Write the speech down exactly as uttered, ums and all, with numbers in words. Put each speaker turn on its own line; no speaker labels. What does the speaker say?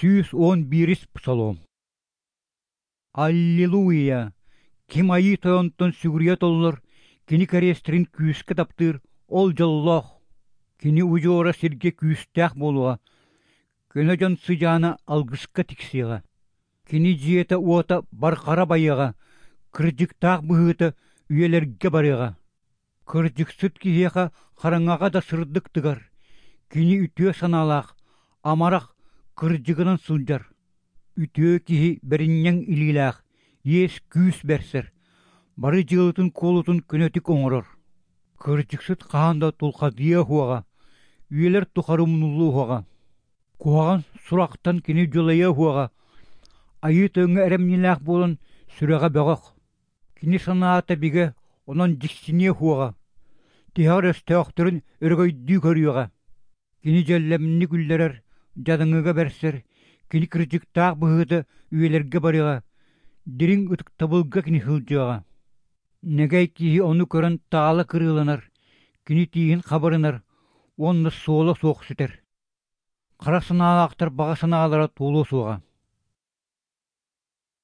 Сүүс уон биирис псалом. Аллилуйя! Ким Айыы Тойонтон сүгүрүйэ толлор, кини кэриэстэрин күүскэ таптыыр, ол дьоллоох. Кини удьуора сиргэ күүстээх буолуоҕа, көнө дьон сыдьаана алгыска тиксиэҕэ. Кини дьиэтэ-уота барҕара байыаҕа, кырдьыктаах быһыыта үйэлэргэ барыаҕа. Кырдьыксыт киһиэхэ хараҥаҕа да сырдык тыгар, кини үтүө санаалаах, амарах, кырдьыгынан сылдьар. Үтүө киһи бэринньэҥ илиилээх, иэс-күүс бэрсэр, бары дьыалатын-куолутун көнөтүк оҥорор. Кырдьыксыт хаһан да тулхадыйыа суоҕа, үйэлэр тухары умнуллуо суоҕа. Куһаҕан сурахтан кини дьулайыа суоҕа, Айыы Тойоҥҥо эрэмньилээх буолан сүрэҕэ бөҕөх. Кини санаата бигэ, онон дьиксиниэ суоҕа, тиһэҕэр өстөөхтөрүн өрөгөйдүү көрүөҕэ. Кини дьэллэмник үллэрэр, дьадаҥыга бэрсэр, кини кырдьыктаах быһыыта үйэлэргэ барыаҕа, дириҥ ытыктабылга кини сылдьыаҕа. Нэгэй киһи ону көрөн таала кырыыланар, кини тииһин хабырынар уонна суола суох сүтэр. Хара санаалаахтар баҕа санаалара туолуо суоҕа.